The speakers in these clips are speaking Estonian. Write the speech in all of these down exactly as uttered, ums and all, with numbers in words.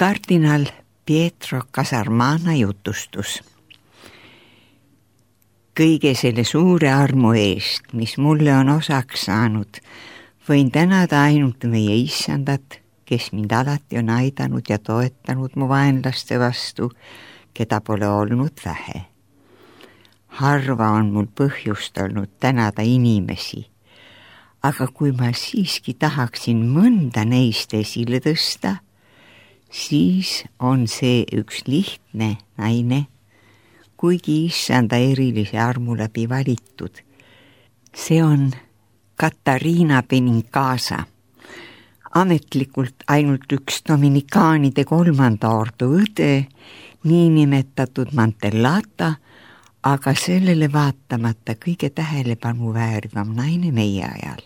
Kardinal Pietro Casarmana jutustus. Kõige selle suure armu eest, mis mulle on osaks saanud, võin tänada ainult meie issandat, kes mind alati on aidanud ja toetanud mu vaenlaste vastu, keda pole olnud vähe. Harva on mul põhjust olnud tänada inimesi, aga kui ma siiski tahaksin mõnda neist esile tõsta, siis on see üks lihtne naine, kuigi issanda erilise armu läbi valitud. See on Katariina Benincasa, ametlikult ainult üks dominikaanide kolmanda ordu õde, niinimetatud Mantellata, aga sellele vaatamata kõige tähelepanu väärivam naine meie ajal.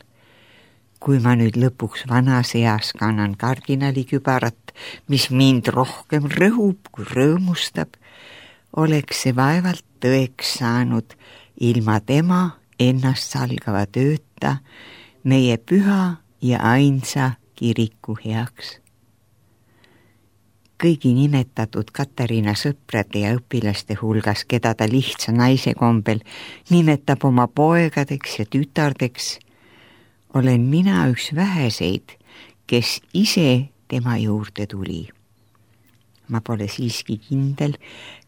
Kui ma nüüd lõpuks vanas eas kannan kardinali kübarat, mis mind rohkem rõhub kui rõõmustab, oleks see vaevalt tõeks saanud ilma tema ennast salgava tööta meie püha ja ainsa kiriku heaks. Kõigi nimetatud Katariina sõprade ja õpilaste hulgas, keda ta lihtsa naise kombel nimetab oma poegadeks ja tütardeks, olen mina üks väheseid, kes ise tema juurde tuli. Ma pole siiski kindel,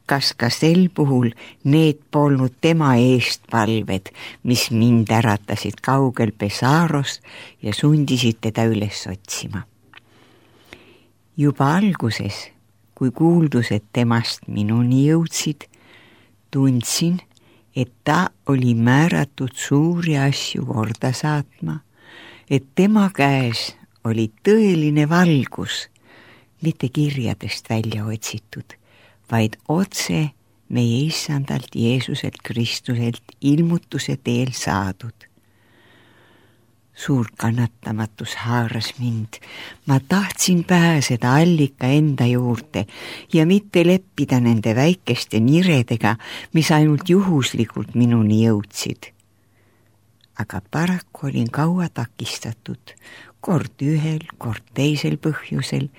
kas ka sel puhul need polnud tema eestpalved, mis mind äratasid kaugel Pesaros ja sundisid teda üles otsima. Juba alguses, kui kuuldused temast minuni jõudsid, tundsin, et ta oli määratud suuri asju korda saatma, et tema käes oli tõeline valgus, mitte kirjadest välja otsitud, vaid otse meie issandalt Jeesuselt Kristuselt ilmutuse teel saadud. Suur kannatamatus haaras mind. Ma tahtsin pääseda allika enda juurde ja mitte leppida nende väikeste niredega, mis ainult juhuslikult minuni jõudsid. Aga paraku olin kaua takistatud, kord ühel, kord teisel põhjusel.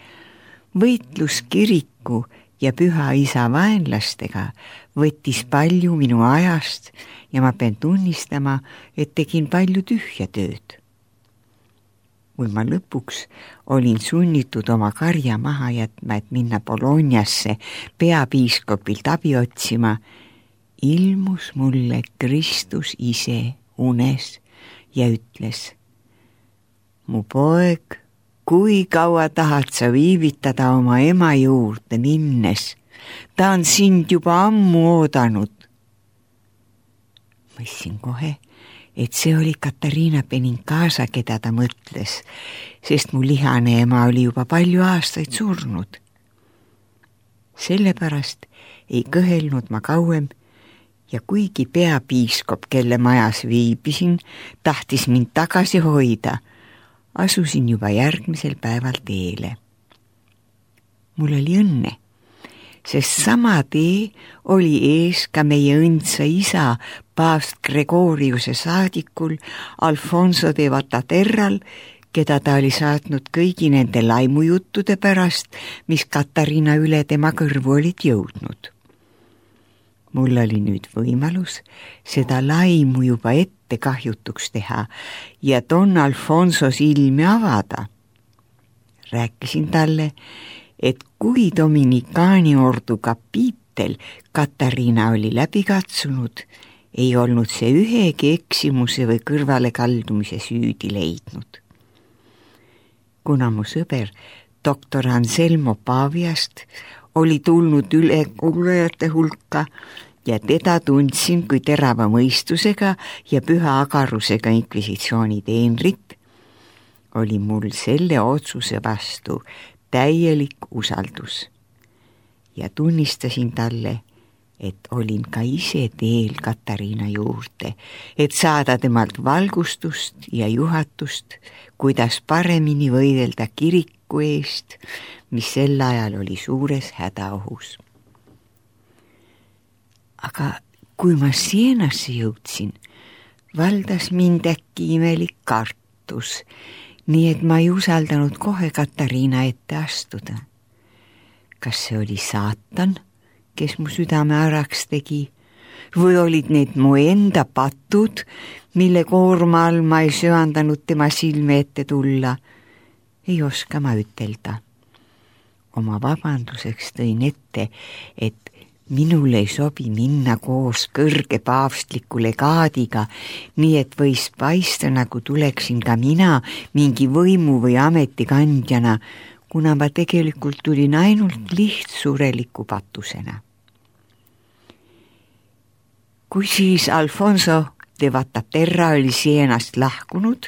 Võitlus kiriku ja püha isa vaenlastega võttis palju minu ajast ja ma pean tunnistama, et tegin palju tühja tööd. Kui ma lõpuks olin sunnitud oma karja maha jätma, et minna Bolognasse peapiiskopilt abi otsima, ilmus mulle Kristus ise unes ja ütles: mu poeg, kui kaua tahad sa viivitada oma ema juurde minnes? Ta on sind juba ammu oodanud. Mõissin kohe, et see oli Katariina Benincasa, keda ta mõtles, sest mu lihane ema oli juba palju aastaid surnud. Sellepärast ei kõhelnud ma kauem ja kuigi peapiiskop, kelle majas viibisin, tahtis mind tagasi hoida, asusin juba järgmisel päeval teele. Mul oli õnne, sest sama tee oli ees ka meie õndsa isa, paavst Gregoriuse saadikul Alfonso de Vataterral, keda ta oli saatnud kõigi nende laimujuttude pärast, mis Katariina üle tema kõrvu olid jõudnud. Mul oli nüüd võimalus seda laimu juba ette kahjutuks teha ja Don Alfonso silmi avada. Rääkisin talle, et kui dominikaani ordu kapiitel Katariina oli läbi katsunud, ei olnud see ühegi eksimuse või kõrvale kaldumise süüdi leidnud. Kuna mu sõber doktor Anselmo Paviast oli tulnud üle kuulajate hulka ja teda tundsin kui terava mõistusega ja püha agarusega inkvisitsiooni teenrit, oli mul selle otsuse vastu täielik usaldus ja tunnistasin talle, et olin ka ise teel Katariina juurde, et saada temalt valgustust ja juhatust, kuidas paremini võidelda kiriku eest, mis sel ajal oli suures hädaohus. Aga kui ma Sienasse jõudsin, valdas mind äkki imelik kartus, nii et ma ei usaldanud kohe Katariina ette astuda. kas see oli saatan, kes mu südame äraks tegi, või olid need mu enda patud, mille koorma all ma ei söandanud tema silme ette tulla. Ei oska ma ütelda. Oma vabanduseks tõin ette, et minul ei sobi minna koos kõrge paavstliku legaadiga, nii et võis paista, nagu tuleksin ka mina mingi võimu või ametikandjana, kuna ma tegelikult tulin ainult lihtsureliku patusena. Kui siis Alfonso de Vataterra oli Sienast lahkunud,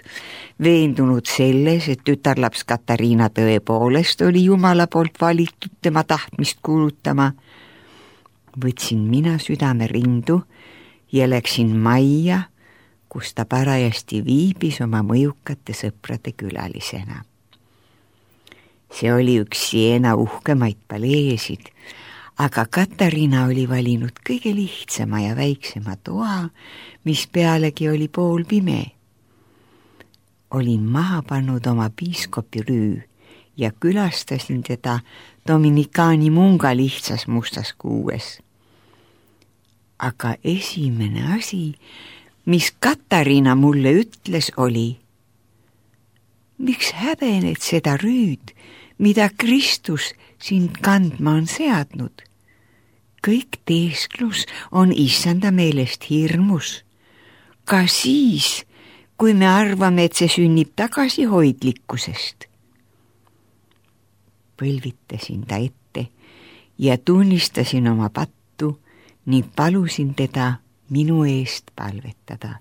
veendunud selles, et tütarlaps Katariina tõepoolest oli Jumala poolt valitud tema tahtmist kuulutama, võtsin mina südame rindu ja läksin majja, kus ta parajasti viibis oma mõjukate sõprade külalisena. See oli üks Siena uhkemaid paleesid, aga Katariina oli valinud kõige lihtsama ja väiksema toa, mis pealegi oli pool pime. Olin maha pannud oma piiskopi rüü ja külastasin teda Dominikaani munga lihtsas mustas kuues. Aga esimene asi, mis Katariina mulle ütles, oli: miks häbened seda rüüd, mida Kristus sind kandma on seadnud? Kõik teesklus on issanda meelest hirmus. Ka siis, kui me arvame, et see sünnib tagasihoidlikkusest. Põlvitasin ta ette ja tunnistasin oma pattu ning palusin teda minu eest palvetada.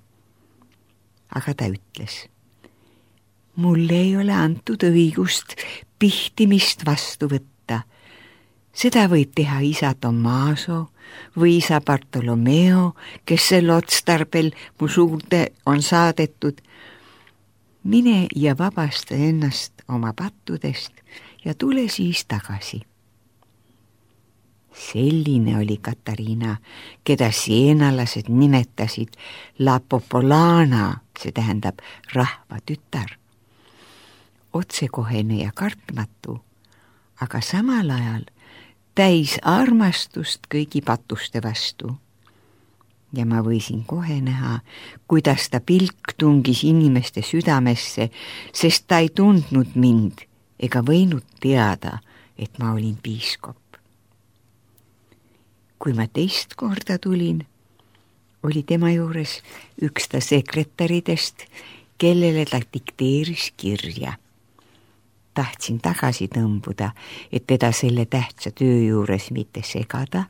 Aga ta ütles: mulle ei ole antud õigust pihtimist vastu võtta. Seda võib teha isa Tommaso või isa Bartolomeo, kes selle otstarbel mu suurde on saadetud. Mine ja vabasta ennast oma pattudest ja tule siis tagasi. Selline oli Katariina, keda sienalased nimetasid La Popolana, see tähendab rahva tütar. Otsekohene ja kartmatu, aga samal ajal täis armastust kõigi patuste vastu. Ja ma võisin kohe näha, kuidas ta pilk tungis inimeste südamesse, sest ta ei tundnud mind ega võinud teada, et ma olin piiskop. Kui ma teist korda tulin, oli tema juures üks ta sekretäridest, kellele ta dikteeris kirja. Tahtsin tagasi tõmbuda, et teda selle tähtsa töö juures mitte segada,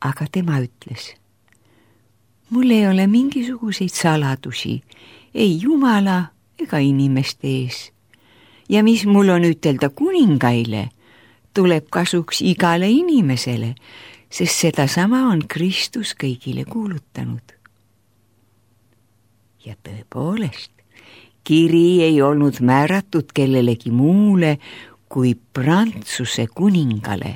aga tema ütles: mul ei ole mingisuguseid saladusi, ei Jumala ega inimeste ees. Ja mis mul on ütelda kuningaile, tuleb kasuks igale inimesele, sest seda sama on Kristus kõigile kuulutanud. Ja tõepoolest, kiri ei olnud määratud kellelegi muule kui Prantsuse kuningale.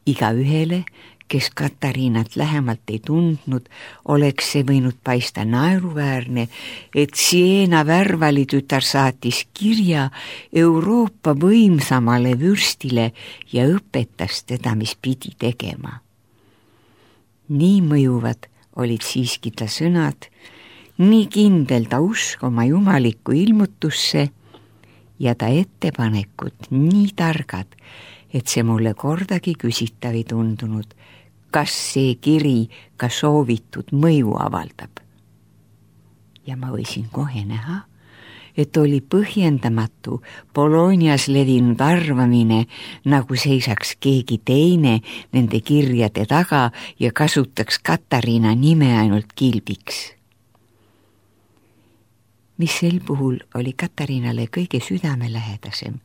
Iga ühele, kes Katariinat lähemalt ei tundnud, oleks see võinud paista naeruväärne, et Siena värvalitütar saatis kirja Euroopa võimsamale vürstile ja õpetas teda, mis pidi tegema. Nii mõjuvad olid siiski ta sõnad, nii kindel ta usk oma jumalikku ilmutusse ja ta ettepanekud nii targad, et see mulle kordagi küsitav ei tundunud, kas see kiri ka soovitud mõju avaldab. Ja ma võisin kohe näha, et oli põhjendamatu Bolognas levinud arvamine, nagu seisaks keegi teine nende kirjade taga ja kasutaks Katariina nime ainult kilbiks. Mis sel puhul oli Katariinale kõige südamelähedasem,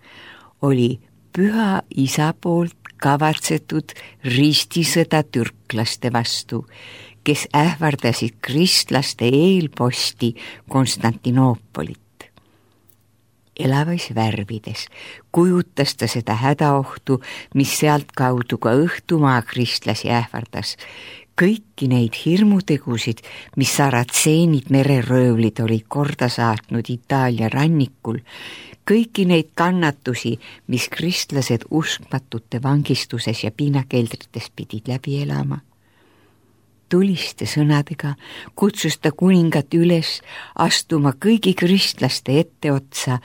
oli püha isa poolt kavatsetud ristisõda türklaste vastu, kes ähvardasid kristlaste eelposti Konstantinoopolit. Elavais värvides kujutas ta seda hädaohtu, mis sealt kaudu ka õhtumaa kristlasi ähvardas, kõiki neid hirmutegusid, mis saratseenid mereröövlid olid korda saatnud Itaalia rannikul, kõiki neid kannatusi, mis kristlased uskmatute vangistuses ja piinakeldrites pidid läbi elama. Tuliste sõnadega kutsus ta kuningat üles astuma kõigi kristlaste etteotsa,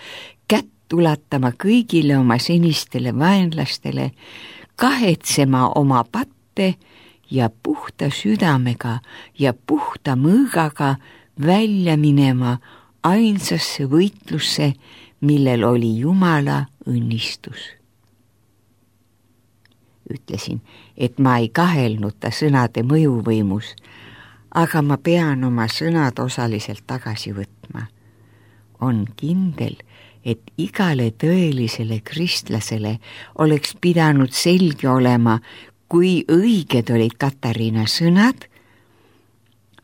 kätt ulatama kõigile oma senistele vaenlastele, kahetsema oma patte ja puhta südamega ja puhta mõõgaga välja minema ainsasse võitlusse, millel oli Jumala õnnistus. Ütlesin, et ma ei kahelnud ta sõnade mõjuvõimus, aga ma pean oma sõnad osaliselt tagasi võtma. On kindel, et igale tõelisele kristlasele oleks pidanud selge olema, kui õiged olid Katariina sõnad,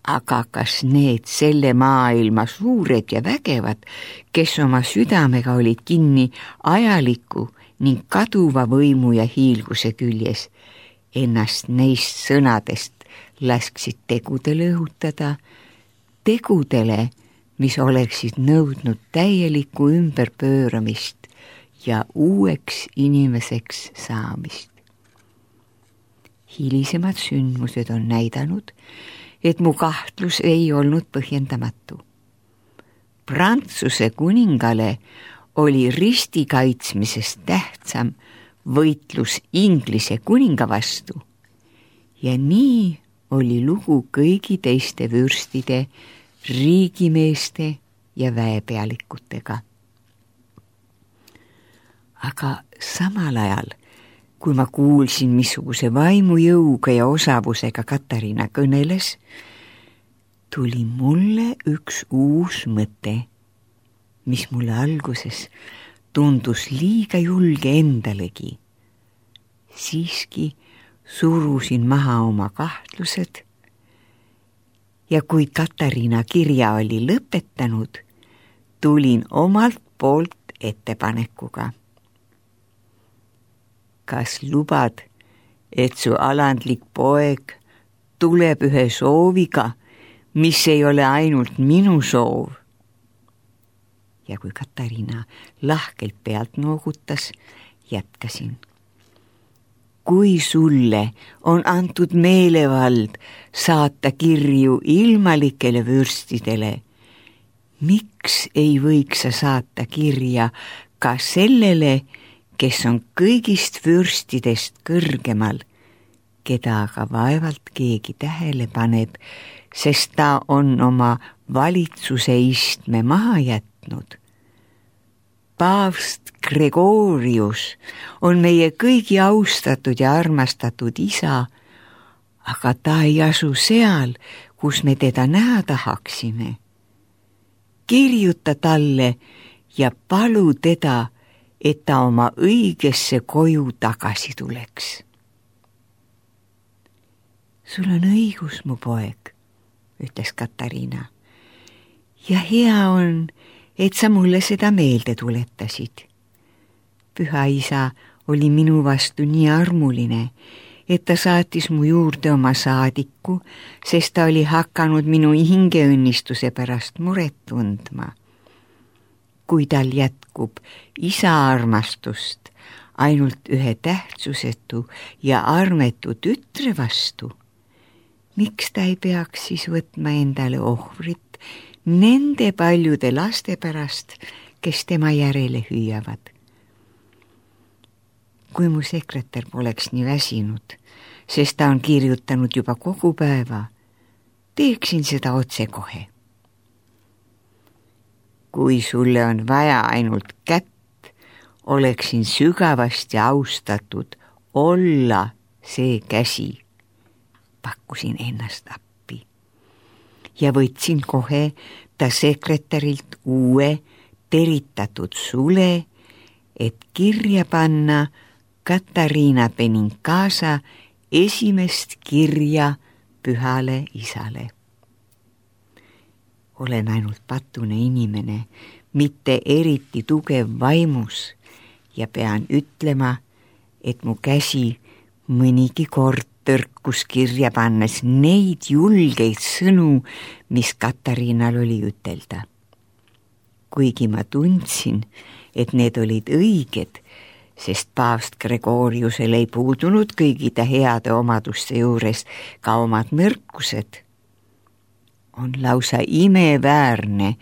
aga kas need selle maailma suured ja vägevad, kes oma südamega olid kinni ajaliku ning kaduva võimu ja hiilguse küljes, ennast neist sõnadest lasksid tegudele õhutada, tegudele, mis oleksid nõudnud täielikku ümberpööramist ja uueks inimeseks saamist. Hilisemad sündmused on näidanud, et mu kahtlus ei olnud põhjendamatu. Prantsuse kuningale oli risti kaitsmisest tähtsam võitlus Inglise kuninga vastu ja nii oli lugu kõigi teiste vürstide, riigimeeste ja väepealikutega. Aga samal ajal, kui ma kuulsin, missuguse vaimujõuga ja osavusega Katariina kõneles, tuli mulle üks uus mõte, mis mulle alguses tundus liiga julge endalegi. Siiski surusin maha oma kahtlused ja kui Katariina kirja oli lõpetanud, tulin omalt poolt ettepanekuga. Kas lubad, et su alandlik poeg tuleb ühe sooviga, mis ei ole ainult minu soov? Ja kui Katariina lahkelt pealt noogutas, jätkasin. Kui sulle on antud meelevald saata kirju ilmalikele vürstidele, miks ei võiks sa saata kirja ka sellele, kes on kõigist vürstidest kõrgemal, keda aga vaevalt keegi tähele paneb, sest ta on oma valitsuse istme maha jätnud. Paavst Gregorius on meie kõigi austatud ja armastatud isa, aga ta ei asu seal, kus me teda näha tahaksime. Kirjuta talle ja palu teda, et ta oma õigesse koju tagasi tuleks. Sul on õigus, mu poeg, ütles Katariina. Ja hea on, et sa mulle seda meelde tuletasid. Püha isa oli minu vastu nii armuline, et ta saatis mu juurde oma saadiku, sest ta oli hakanud minu hingeõnnistuse pärast muret tundma. Kui tal jätkub isa armastust ainult ühe tähtsusetu ja armetu tütre vastu, miks ta ei peaks siis võtma endale ohvrit nende paljude laste pärast, kes tema järele hüüavad? Kui mu sekretär poleks nii väsinud, sest ta on kirjutanud juba kogu päeva, teeksin seda otse kohe. Kui sulle on vaja ainult kätt, oleksin sügavasti austatud olla see käsi, pakkusin ennast appi. Ja võtsin kohe ta sekretärilt uue teritatud sule, et kirja panna Katariina Benincasa esimest kirja pühale isale. Olen ainult patune inimene, mitte eriti tugev vaimus ja pean ütlema, et mu käsi mõnigi kord tõrkus kirja pannes neid julgeid sõnu, mis Katariinal oli ütelda. kuigi ma tundsin, et need olid õiged, sest paavst Gregoriusel ei puudunud kõigi ta heade omaduste juures ka omad nõrkused. On lausa imeväärne,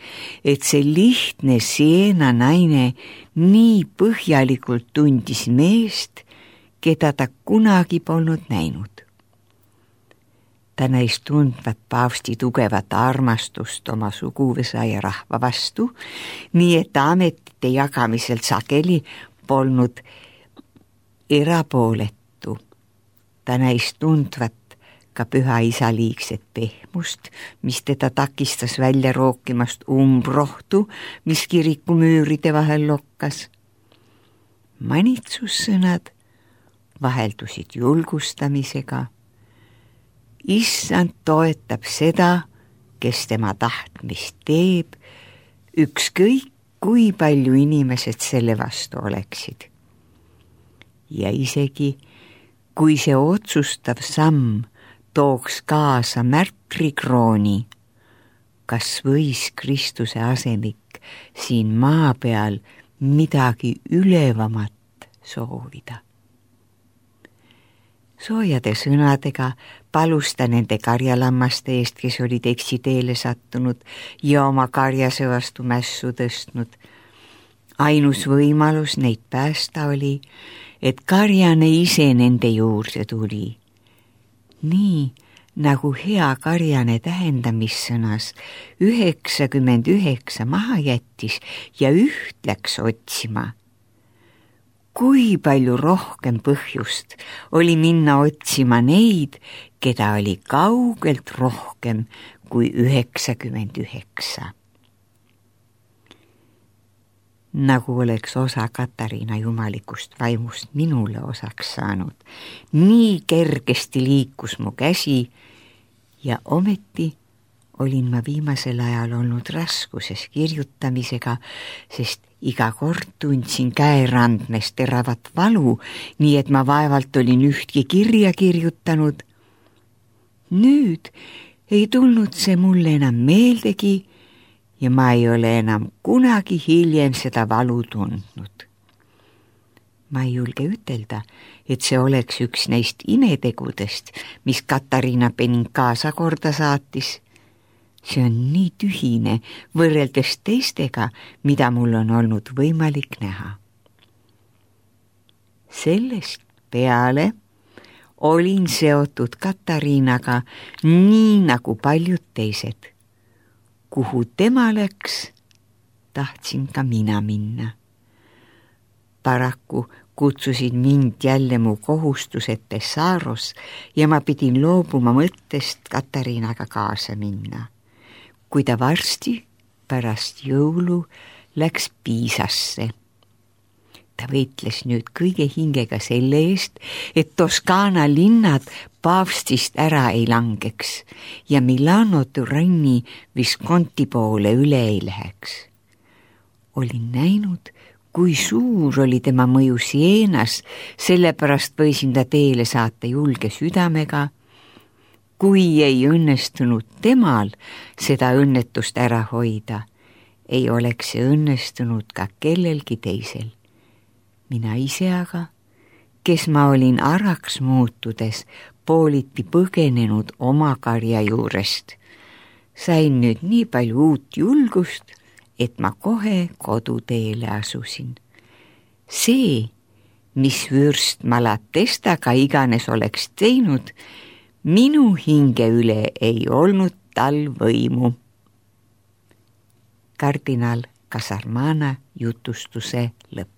et see lihtne Siena naine nii põhjalikult tundis meest, keda ta kunagi polnud näinud. Ta näis tundvat paavsti tugevat armastust oma suguvõsa ja rahva vastu, nii et ta ametite jagamisel sageli polnud erapooletu. Ta näis tundvat ka püha isa liigset pehmust, mis teda takistas välja rookimast umbrohtu, mis kiriku müüride vahel lokkas. Manitsussõnad vaheldusid julgustamisega. Issand toetab seda, kes tema tahtmist teeb, ükskõik kui palju inimesed selle vastu oleksid. Ja isegi, kui see otsustav samm tooks kaasa märtrikrooni, kas võis Kristuse asemik siin maa peal midagi ülevamat soovida. Soojade sõnadega palus ta nende karjalammaste eest, kes olid eksiteele sattunud ja oma karjase vastu mässu tõstnud. Ainus võimalus neid päästa oli, et karjane ise nende juurde tuli. Nii nagu hea karjane tähendamissõnas üheksakümmend üheksa maha jättis ja üht läks otsima. Kui palju rohkem põhjust oli minna otsima neid, keda oli kaugelt rohkem kui üheksakümmend üheksa. Nagu oleks osa Katariina jumalikust vaimust minule osaks saanud, nii kergesti liikus mu käsi ja ometi olin ma viimasel ajal olnud raskuses kirjutamisega, sest iga kord tundsin käerandmes teravat valu, nii et ma vaevalt olin ühtki kirja kirjutanud. Nüüd ei tulnud see mulle enam meeldegi ja ma ei ole enam kunagi hiljem seda valu tundnud. Ma ei julge ütelda, et see oleks üks neist imetegudest, mis Katariina Benincasa korda saatis. See on nii tühine võrreldes teistega, mida mul on olnud võimalik näha. Sellest peale olin seotud Katariinaga nii nagu paljud teised. Kuhu tema läks, tahtsin ka mina minna. Paraku kutsusid mind jälle mu kohustused Pessaros ja ma pidin loobuma mõttest Katariinaga kaasa minna. Kui ta varsti pärast jõulu läks Piisasse. Ta võitles nüüd kõige hingega selle eest, et Toskaana linnad paavstist ära ei langeks ja Milano Turanni Visconti poole üle ei läheks. Olin näinud, kui suur oli tema mõju Sienas, sellepärast võisin ta teele saata julge südamega. Kui ei õnnestunud temal seda õnnetust ära hoida, ei oleks see õnnestunud ka kellelgi teisel. Mina ise aga, kes ma olin araks muutudes, pooliti põgenenud oma karja juurest. Sain nüüd nii palju uut julgust, et ma kohe koduteele asusin. See, mis vürst Malatesta ka iganes oleks teinud, minu hinge üle ei olnud tal võimu. Kardinal Kasarmana jutustuse lõpp.